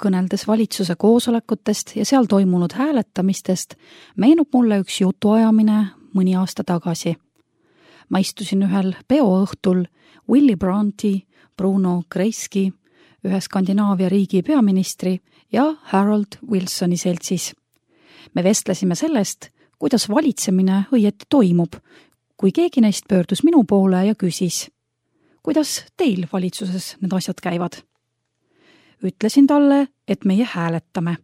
Kõneldes valitsuse koosolekutest ja seal toimunud hääletamistest, meenub mulle üks jutuajamine mõni aasta tagasi. Ma istusin ühel peoõhtul Willy Brandti, Bruno Kreisky, ühe Skandinaavia riigi peaministri ja Harold Wilsoni seltsis. Me vestlesime sellest, kuidas valitsemine õieti toimub, kui keegi neist pöördus minu poole ja küsis, kuidas teil valitsuses need asjad käivad? Ütlesin talle, et meie hääletame.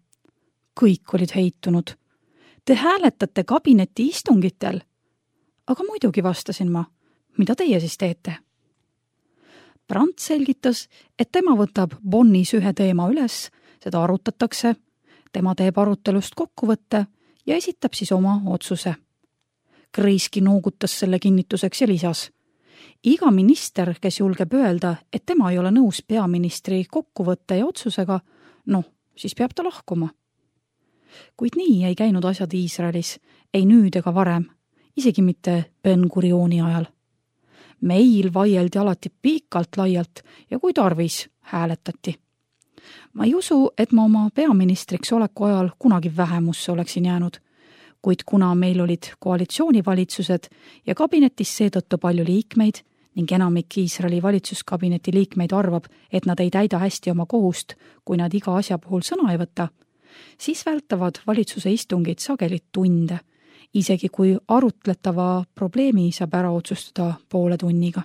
Kõik olid heitunud. Te hääletate kabineti istungitel? Aga muidugi vastasin ma, mida teie siis teete? Brandt selgitas, et tema võtab Bonnis ühe teema üles, seda arutatakse, tema teeb arutelust kokkuvõtte ja esitab siis oma otsuse. Kreisky noogutas selle kinnituseks ja lisas. Iga minister, kes julgeb öelda, et tema ei ole nõus peaministri kokkuvõtte ja otsusega, siis peab ta lahkuma. Kuid nii ei käinud asjad Iisraelis, ei nüüd ega varem, isegi mitte Ben-Gurioni ajal. Meil vaieldi alati pikalt laialt ja kui tarvis, hääletati. Ma ei usu, et ma oma peaministriks oleku ajal kunagi vähemusse oleksin jäänud, kuid kuna meil olid koalitsioonivalitsused ja kabinetis seetõttu palju liikmeid ning enamik Iisraeli valitsuskabineti liikmeid arvab, et nad ei täida hästi oma kohust, kui nad iga asja puhul sõna ei võta, siis vältavad valitsuse istungid sageli tunde, isegi kui arutletava probleemi saab ära otsustada poole tunniga.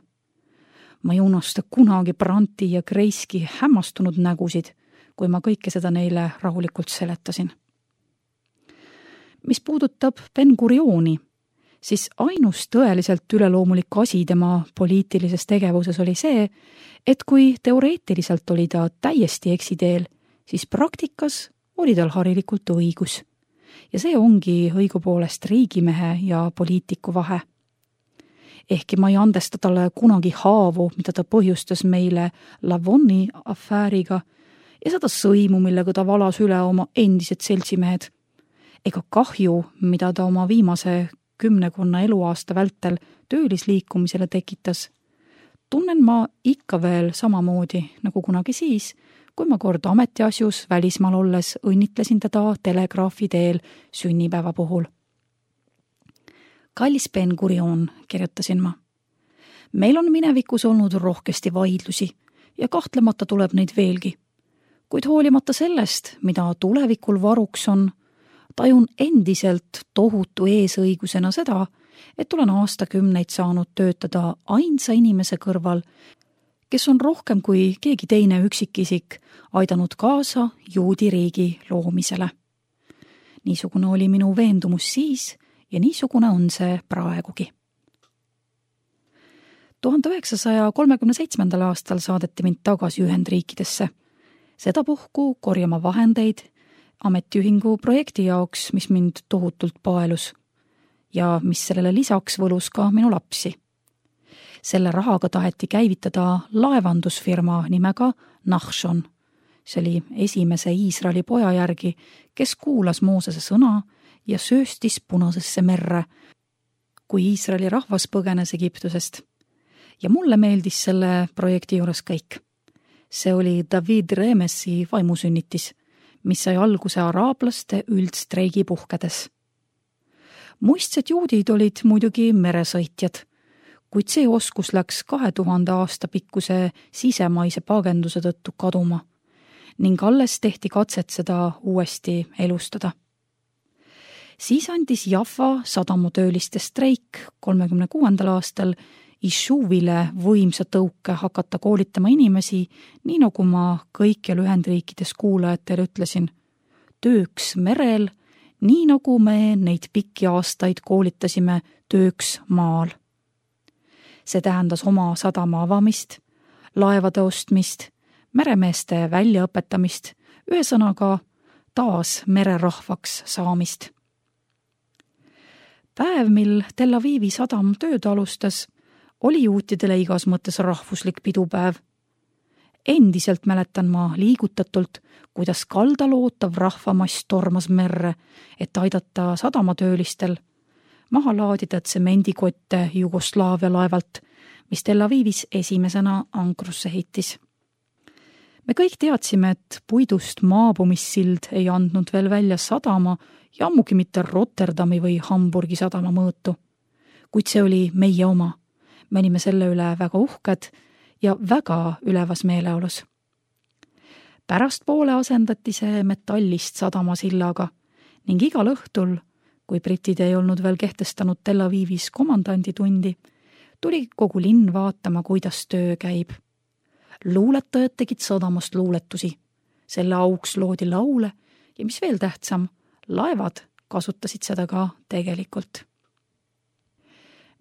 Ma ei unusta kunagi Brandti ja Kreisky hämmastunud nägusid, kui ma kõike seda neile rahulikult seletasin. Mis puudutab Ben-Gurioni, siis ainus tõeliselt üleloomulik asi tema poliitilises tegevuses oli see, et kui teoreetiliselt oli ta täiesti eksiteel, siis praktikas oli tal harilikult õigus. Ja see ongi õigupoolest riigimehe ja poliitiku vahe. Ehkki ma ei andesta talle kunagi haavu, mida ta põhjustas meile Lavonni afääriga ja seda sõimu, millega ta valas üle oma endised seltsimehed, ega kahju, mida ta oma viimase 10 eluaasta vältel töölisliikumisele tekitas, tunnen ma ikka veel samamoodi nagu kunagi siis, kui ma kord ametiasjus välismaal olles õnnitlesin teda telegraafi teel sünnipäeva puhul. Kallis Ben-Gurion, kirjutasin ma. Meil on minevikus olnud rohkesti vaidlusi ja kahtlemata tuleb neid veelgi. Kuid hoolimata sellest, mida tulevikul varuks on, tajun endiselt tohutu eesõigusena seda, et olen aastakümneid saanud töötada ainsa inimese kõrval, kes on rohkem kui keegi teine üksikisik aidanud kaasa juudi riigi loomisele. Niisugune oli minu veendumus siis ja niisugune on see praegugi. 1937. aastal saadeti mind tagasi Ühendriikidesse. Sedapuhku korjama vahendeid ametiühingu projekti jaoks, mis mind tohutult paelus ja mis sellele lisaks võlus ka minu lapsi. Selle rahaga taheti käivitada laevandusfirma nimega Nachshon. See oli esimese Iisraeli poja järgi, kes kuulas Moosese sõna ja sööstis Punasesse merre, kui Iisraeli rahvas põgenes Egiptusest. Ja mulle meeldis selle projekti juures kõik. See oli David Remesi vaimusünnitis, mis sai alguse araablaste üldstreigi puhkedes. Muistsed juudid olid muidugi meresõitjad, kuid see oskus läks 2000 aasta pikkuse sisemaise pagenduse tõttu kaduma ning alles tehti katset seda uuesti elustada. Siis andis Jaffa sadamutööliste streik 36. aastal Ishuvile võimsa tõuke hakata koolitama inimesi, nii nagu ma kõikjal Ühendriikides kuulajatele ütlesin, tööks merel, nii nagu me neid pikki aastaid koolitasime tööks maal. See tähendas oma sadama avamist, laevade ostmist, meremeeste väljaõpetamist, ühesõnaga taas mererahvaks saamist. Päev, mil Tel Avivi sadam tööd alustas, oli juutidele igas mõttes rahvuslik pidupäev. Endiselt mäletan ma liigutatult, kuidas kaldal ootav rahvamass tormas merre, et aidata sadamatöölistel maha laadida tsemendikotte Jugoslaavia laevalt, mis Tel Avivis esimesena ankrusse heitis. Me kõik teadsime, et puidust maabumissild ei andnud veel välja sadama ja ammugi mitte Rotterdami või Hamburgi sadama mõõtu. Kuid see oli meie oma. Me olime selle üle väga uhked ja väga ülevas meeleolus. Pärastpoole asendati see metallist sadamasillaga ning igal õhtul, kui britid ei olnud veel kehtestanud Tel Avivis komandanditundi, tuli kogu linn vaatama, kuidas töö käib. Luuletajad tegid sadamast luuletusi. Selle auks loodi laule ja mis veel tähtsam, laevad kasutasid seda ka tegelikult.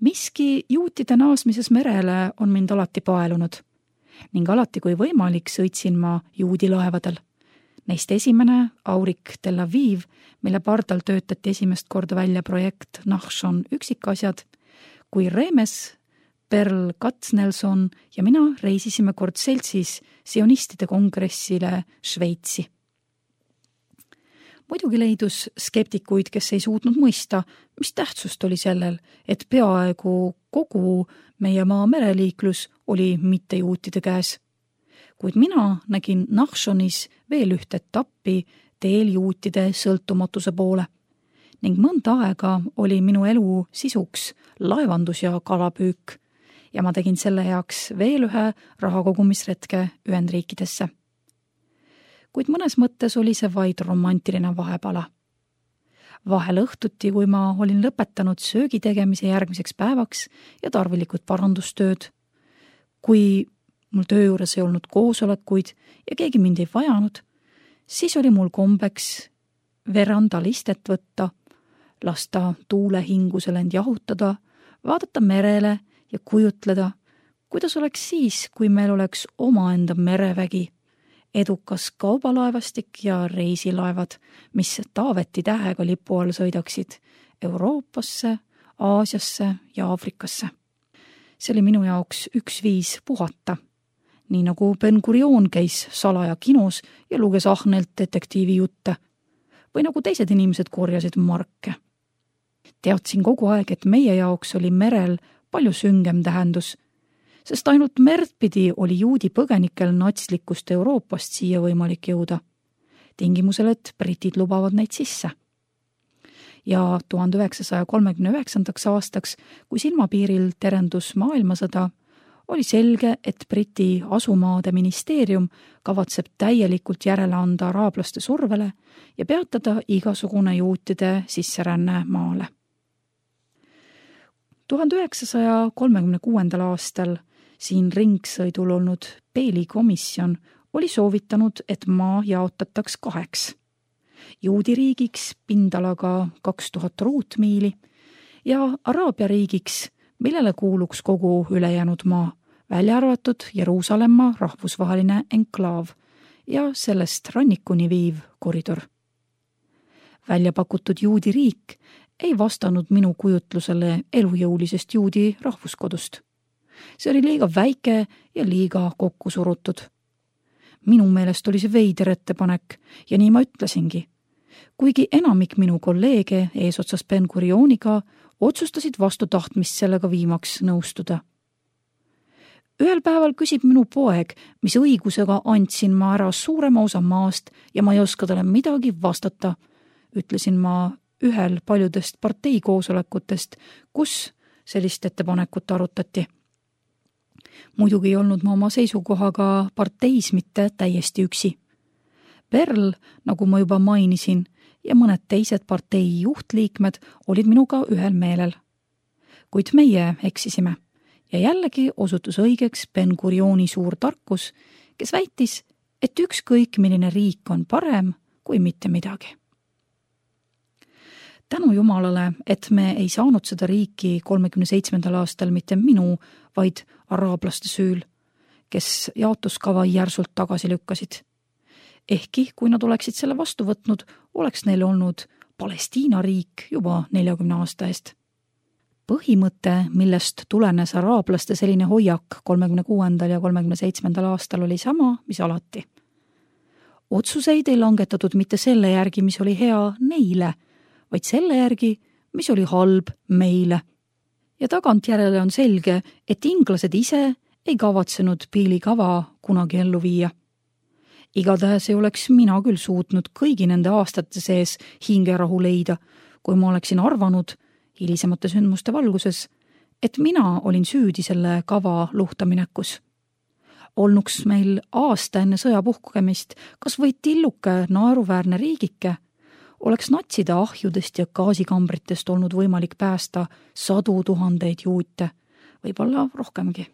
Miski juutide naasmises merele on mind alati paelunud ning alati kui võimalik sõitsin ma juudi laevadel. Neist esimene Aurik Tel Aviv, mille pardal töötati esimest korda välja projekt Nachshon üksikasjad, kui Remes, Perl Katznelson ja mina reisisime kord seltsis sionistide kongressile Šveitsi. Muidugi leidus skeptikuid, kes ei suutnud mõista, mis tähtsust oli sellel, et peaaegu kogu meie maa mereliiklus oli mittejuutide käes. Kuid mina nägin Nachshonis veel ühte etappi teel juutide sõltumatuse poole ning mõnda aega oli minu elu sisuks laevandus ja kalapüük ja ma tegin selle heaks veel ühe rahakogumisretke Ühendriikidesse. Kuid mõnes mõttes oli see vaid romantiline vahepala. Vahel õhtuti, kui ma olin lõpetanud söögi tegemise järgmiseks päevaks ja tarvilikud parandustööd, kui mul töö juures ei olnud koosolekuid ja keegi mind ei vajanud, siis oli mul kombeks verandalistet võtta, lasta tuulehingusel end jahutada, vaadata merele ja kujutleda, kuidas oleks siis, kui meil oleks omaenda merevägi, edukas kaubalaevastik ja reisilaevad, mis Taaveti tähega lipu all sõidaksid Euroopasse, Aasiasse ja Aafrikasse. See oli minu jaoks üks viis puhata, nii nagu Ben Gurion käis salaja kinos ja luges ahnelt detektiivi jutte või nagu teised inimesed korjasid marke. Teadsin kogu aeg, et meie jaoks oli merel palju süngem tähendus, sest ainult merd pidi oli juudi põgenikel natslikust Euroopast siia võimalik jõuda, tingimusel, et britid lubavad neid sisse. Ja 1939. aastaks, kui silmapiiril terendus maailmasõda, oli selge, et Briti asumaade ministeerium kavatseb täielikult järele anda araablaste survele ja peatada igasugune juutide sisseränne maale. 1936. aastal siin ringsõidul olnud Peeli komisjon oli soovitanud, et maa jaotataks 2. Juudi riigiks pindalaga 2000 ruutmiili ja Araabia riigiks, millele kuuluks kogu ülejäänud maa, välja arvatud Jeruusalemma rahvusvaheline enklaav ja sellest rannikuni viiv koridor. Välja pakutud juudi riik ei vastanud minu kujutlusele elujõulisest juudi rahvuskodust. See oli liiga väike ja liiga kokku surutud. Minu meelest oli see veider ettepanek ja nii ma ütlesingi. Kuigi enamik minu kolleege eesotsas Ben Gurioniga otsustasid vastu tahtmist sellega viimaks nõustuda. Ühel päeval küsib minu poeg, mis õigusega andsin ma ära suurema osa maast ja ma ei oska talle midagi vastata, ütlesin ma ühel paljudest parteikoosolekutest, kus sellist ettepanekut arutati. Muidugi ei olnud ma oma seisukohaga parteis mitte täiesti üksi. Perl, nagu ma juba mainisin, ja mõned teised partei juhtliikmed olid minuga ühel meelel. Kuid meie eksisime ja jällegi osutus õigeks Ben Gurioni suur tarkus, kes väitis, et ükskõik milline riik on parem kui mitte midagi. Tänu Jumalale, et me ei saanud seda riiki 37. aastal mitte minu, vaid araablaste süül, kes jaotuskava järsult tagasi lükkasid. Ehkki, kui nad oleksid selle vastu võtnud, oleks neil olnud Palestiina riik juba 40 aasta eest. Põhimõte, millest tulenes araablaste selline hoiak 36. ja 37. aastal oli sama, mis alati. Otsuseid ei langetatud mitte selle järgi, mis oli hea neile, vaid selle järgi, mis oli halb meile. Ja tagantjärele on selge, et inglased ise ei kavatsenud Peeli kava kunagi ellu viia. Igatahes ei oleks mina küll suutnud kõigi nende aastate sees hingerahu leida, kui ma oleksin arvanud hilisemate sündmuste valguses, et mina olin süüdi selle kava luhtaminekus. Olnuks meil aasta enne sõja puhkemist kas või tilluke naeruväärne riigike, oleks natside ahjudest ja gaasikambritest olnud võimalik päästa 100 000 juute, võib-olla rohkemgi.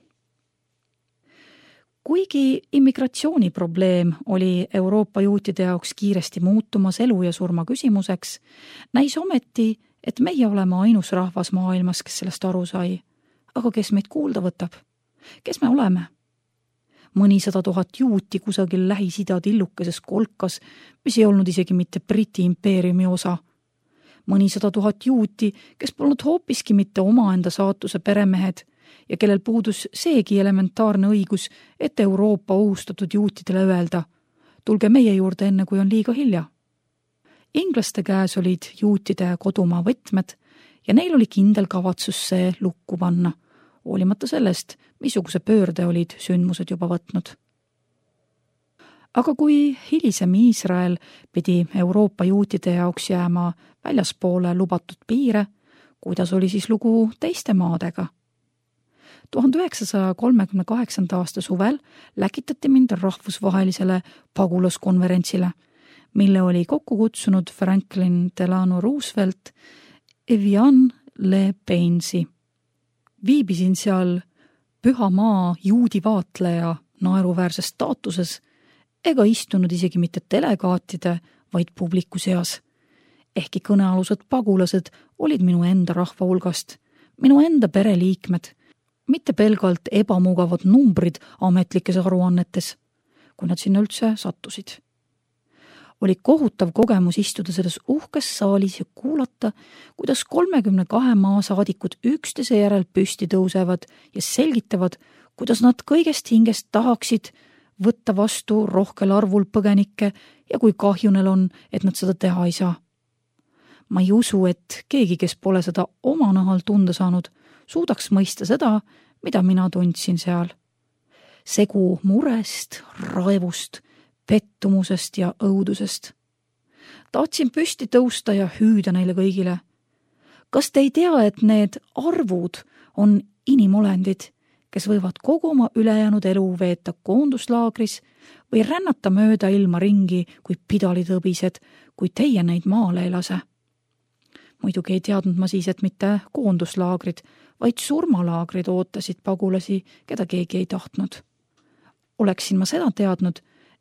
Kuigi immigratsiooniprobleem oli Euroopa juutide jaoks kiiresti muutumas elu ja surma küsimuseks, näis ometi, et meie oleme ainus rahvas maailmas, kes sellest aru sai. Aga kes meid kuulda võtab? Kes me oleme? Mõni 100 000 juuti kusagil Lähis-Ida tillukeses kolkas, mis ei olnud isegi mitte Briti impeeriumi osa. Mõni 100 000 juuti, kes polnud hoopiski mitte omaenda saatuse peremehed ja kellel puudus seegi elementaarne õigus, et Euroopa ohustatud juutidele öelda, tulge meie juurde enne, kui on liiga hilja. Inglaste käes olid juutide kodumaa võtmed ja neil oli kindel kavatsus see lukku panna, hoolimata sellest, missuguse pöörde olid sündmused juba võtnud. Aga kui hilisem Iisrael pidi Euroopa juutide jaoks jääma väljaspoole lubatud piire, kuidas oli siis lugu teiste maadega? 1938. aasta suvel läkitati mind rahvusvahelisele pagulaskonverentsile, mille oli kokku kutsunud Franklin Delano Roosevelt Evian Le Bainsi. Viibisin seal püha maa juudi vaatleja naeruväärses staatuses ega istunud isegi mitte delegaatide, vaid publiku seas. Ehkki kõnealused pagulased olid minu enda rahva hulgast, minu enda pereliikmed, mitte pelgalt ebamugavad numbrid ametlikes aruannetes, kui nad sinna üldse sattusid. Oli kohutav kogemus istuda selles uhkes saalis ja kuulata, kuidas 32 maa saadikud üksteise järel püsti tõusevad ja selgitavad, kuidas nad kõigest hingest tahaksid võtta vastu rohkel arvul põgenikke ja kui kahju neil on, et nad seda teha ei saa. Ma ei usu, et keegi, kes pole seda oma nahal tunda saanud, suudaks mõista seda, mida mina tundsin seal. Segu murest, raevust, pettumusest ja õudusest. Tahtsin püsti tõusta ja hüüda neile kõigile. Kas te ei tea, et need arvud on inimolendid, kes võivad kogu oma ülejäänud elu veeta koonduslaagris või rännata mööda ilma ringi kui pidalitõbised, kui teie neid maale ei lase? Muidugi ei teadnud ma siis, et mitte koonduslaagrid, vaid surmalaagrid ootasid pagulasi, keda keegi ei tahtnud. Oleksin ma seda teadnud,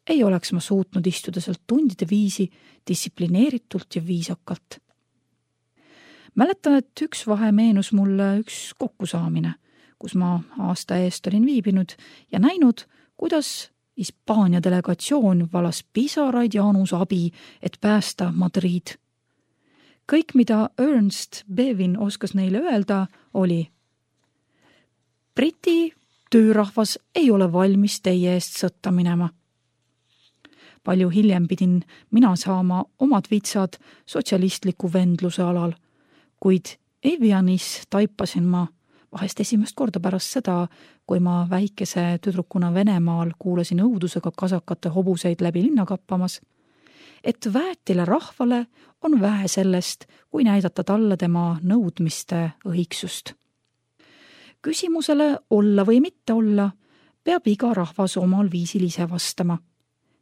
ei oleks ma suutnud istuda sealt tundide viisi distsiplineeritult ja viisakalt. Mäletan, et üks vahe meenus mulle üks kokkusaamine, kus ma aasta eest olin viibinud ja näinud, kuidas Hispaania delegatsioon valas pisaraid Jaanus abi, et päästa Madrid. Kõik, mida Ernst Bevin oskas neile öelda, oli: Briti töörahvas ei ole valmis teie eest sõtta minema. Palju hiljem pidin mina saama omad vitsad sotsialistliku vendluse alal, kuid Evianis taipasin ma vahest esimest korda pärast seda, kui ma väikese tüdrukuna Venemaal kuulasin õudusega kasakate hobuseid läbi linna kappamas, et väetile rahvale on vähe sellest, kui näidata talle tema nõudmiste õigsust. Küsimusele olla või mitte olla peab iga rahvas omal viisil ise vastama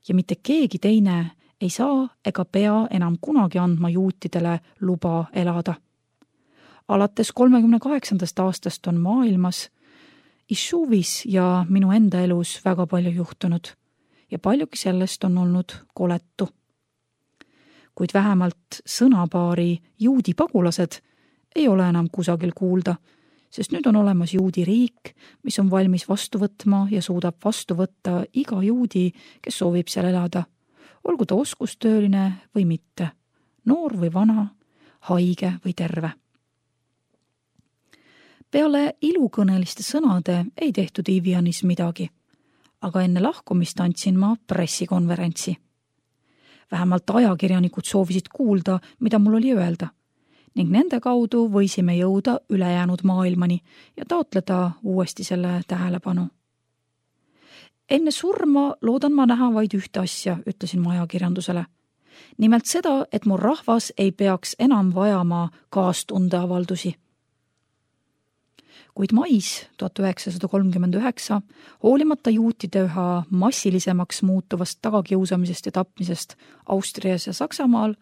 ja mitte keegi teine ei saa ega pea enam kunagi andma juutidele luba elada. Alates 38. aastast on maailmas, Ishuvis ja minu enda elus väga palju juhtunud ja paljugi sellest on olnud koletu. Kuid vähemalt sõnapaari juudi pagulased ei ole enam kusagil kuulda, sest nüüd on olemas juudi riik, mis on valmis vastu võtma ja suudab vastu võtta iga juudi, kes soovib seal elada, olgu ta oskustööline või mitte, noor või vana, haige või terve. Peale ilukõneliste sõnade ei tehtud Evianis midagi, aga enne lahkumist andsin ma pressikonverentsi. Vähemalt ajakirjanikud soovisid kuulda, mida mul oli öelda, ning nende kaudu võisime jõuda ülejäänud maailmani ja taotleda uuesti selle tähelepanu. Enne surma loodan ma näha vaid ühte asja, ütlesin ma ajakirjandusele. Nimelt seda, et mu rahvas ei peaks enam vajama kaastundeavaldusi. Kuid mais 1939, hoolimata juutide üha massilisemaks muutuvast tagakiusamisest ja tapmisest Austrias ja Saksamaal,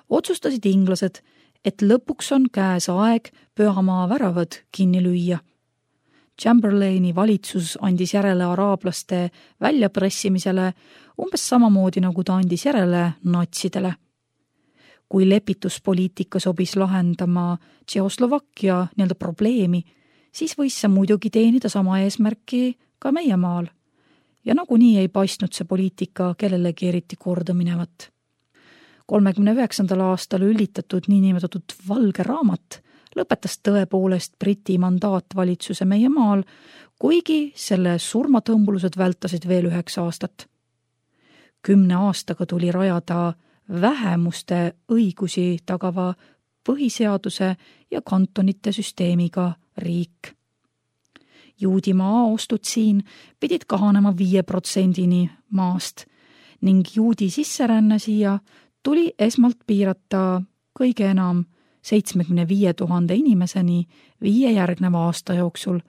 otsustasid inglased, et lõpuks on käes aeg pühamaa väravad kinni lüüa. Chamberlaini valitsus andis järele araablaste väljapressimisele umbes samamoodi, nagu ta andis järele natsidele. Kui lepituspoliitika sobis lahendama Tšehhoslovakkia nii-öelda probleemi, siis võis see muidugi teenida sama eesmärki ka meie maal. Ja nagunii ei paistnud see poliitika kellelegi eriti korda minevat. 1939. aastal üllitatud niinimetatud valge raamat lõpetas tõepoolest Briti mandaatvalitsuse meie maal, kuigi selle surmatõmbulused vältasid veel 9 aastat. 10 aastaga tuli rajada vähemuste õigusi tagava põhiseaduse ja kantonite süsteemiga riik. Juudimaa ostud siin pidid kahanema 5%-ni maast ning juudi sisseränne siia tuli esmalt piirata kõige enam 75 000 inimeseni 5 järgneva aasta jooksul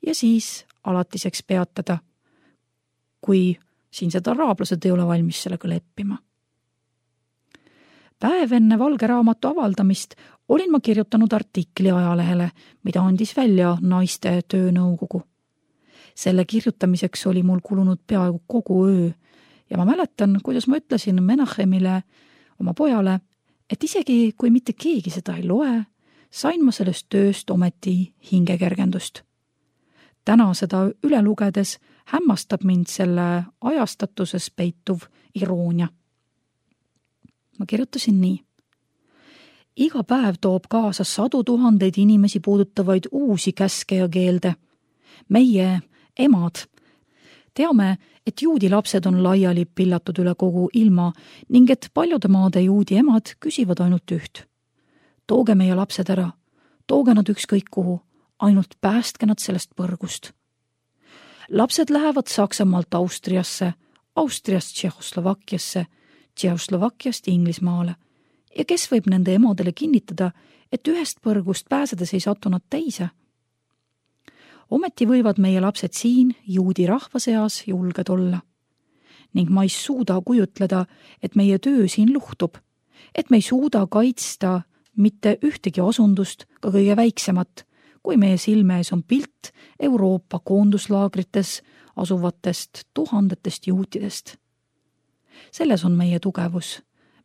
ja siis alatiseks peatada, kui siinsed araablased ei ole valmis sellega leppima. Päev enne valge raamatu avaldamist olin ma kirjutanud artikli ajalehele, mida andis välja naiste töönõukogu. Selle kirjutamiseks oli mul kulunud peaaegu kogu öö ja ma mäletan, kuidas ma ütlesin Menachemile, oma pojale, et isegi kui mitte keegi seda ei loe, sain ma sellest tööst ometi hingekergendust. Täna seda üle lugedes hämmastab mind selle ajastatuses peituv iroonia. Ma kirjutasin nii. Iga päev toob kaasa 100 000 inimesi puudutavaid uusi käske ja keelde. Meie, emad, teame, et juudi lapsed on laiali pillatud üle kogu ilma ning et paljude maade juudi emad küsivad ainult üht. Tooge meie lapsed ära, tooge nad ükskõik kuhu, ainult päästke nad sellest põrgust. Lapsed lähevad Saksamaalt Austriasse, Austriast Tšehhoslovakkiasse, Tšehhoslovakkiast Inglismaale ja kes võib nende emadele kinnitada, et ühest põrgust pääsedes ei satu nad teise? Ometi võivad meie lapsed siin juudi rahva seas julged olla. Ning ma ei suuda kujutleda, et meie töö siin luhtub, et me ei suuda kaitsta mitte ühtegi osundust, ka kõige väiksemat, kui meie silme ees on pilt Euroopa koonduslaagrites asuvatest tuhandetest juutidest. Selles on meie tugevus,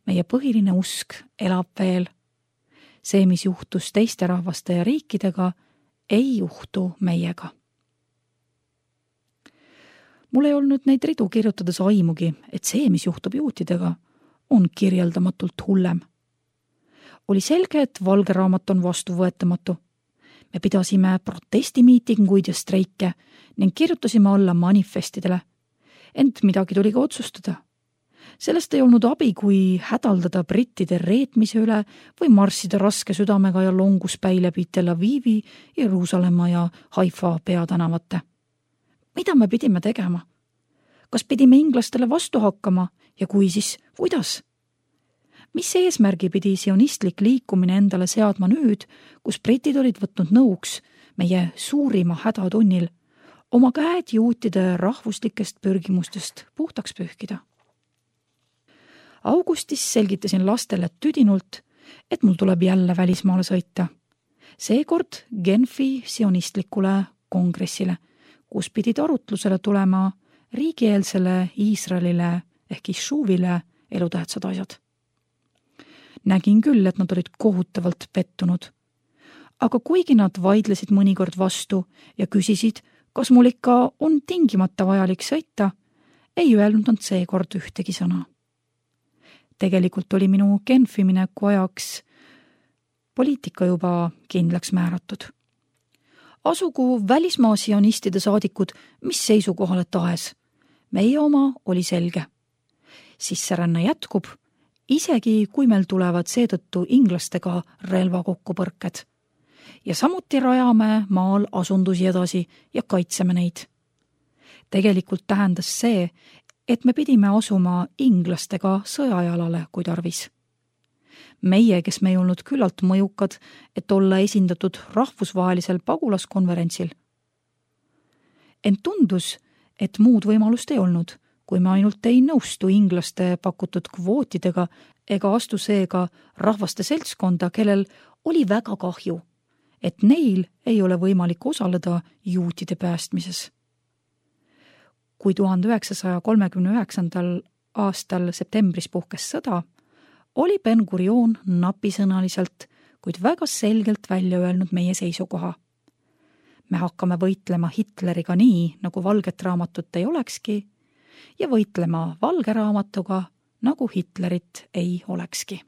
meie põhiline usk elab veel. See, mis juhtus teiste rahvaste ja riikidega, ei juhtu meiega. Mul ei olnud neid ridu kirjutades aimugi, et see, mis juhtub juutidega, on kirjeldamatult hullem. Oli selge, et valge raamat on vastuvõetamatu. Me pidasime protestimiitinguid ja streike ning kirjutasime alla manifestidele. Ent midagi tuli ka otsustada. Sellest ei olnud abi, kui hädaldada brittide reetmise üle või marssida raske südamega ja longuspäi läbi Tel Avivi, Jeruusalemma ja Haifa peatänavate. Mida me pidime tegema? Kas pidime inglastele vastu hakkama ja kui siis, kuidas? Mis eesmärgi pidi sionistlik liikumine endale seadma nüüd, kus britid olid võtnud nõuks meie suurima hädatunnil oma käed juutide rahvuslikest pürgimustest puhtaks pühkida? Augustis selgitasin lastele tüdinult, et mul tuleb jälle välismaale sõita. Seekord Genfi sionistlikule kongressile, kus pidid arutlusele tulema riigieelsele Iisraelile ehk Ishuvile elutähtsad asjad. Nägin küll, et nad olid kohutavalt pettunud. Aga kuigi nad vaidlesid mõnikord vastu ja küsisid, kas mul ikka on tingimata vajalik sõita, ei öelnud nad seekord ühtegi sõna. Tegelikult oli minu Genfi mineku ajaks poliitika juba kindlaks määratud. Asugu välismaa sionistide saadikud mis seisukohale tahes. Meie oma oli selge. Sisseränne jätkub, isegi kui meil tulevad seetõttu inglastega relvakokkupõrked. Ja samuti rajame maal asundusi edasi ja kaitseme neid. Tegelikult tähendas see, et me pidime asuma inglastega sõjajalale, kui tarvis. Meie, kes me ei olnud küllalt mõjukad, et olla esindatud rahvusvahelisel pagulaskonverentsil. Ent tundus, et muud võimalust ei olnud, kui me ainult ei nõustu inglaste pakutud kvootidega ega astu seega rahvaste seltskonda, kellel oli väga kahju, et neil ei ole võimalik osaleda juutide päästmises. Kui 1939. aastal septembris puhkes sõda, oli Ben-Gurion napisõnaliselt, kuid väga selgelt välja öelnud meie seisukoha. Me hakkame võitlema Hitleriga nii, nagu valget raamatut ei olekski, ja võitlema valge raamatuga, nagu Hitlerit ei olekski.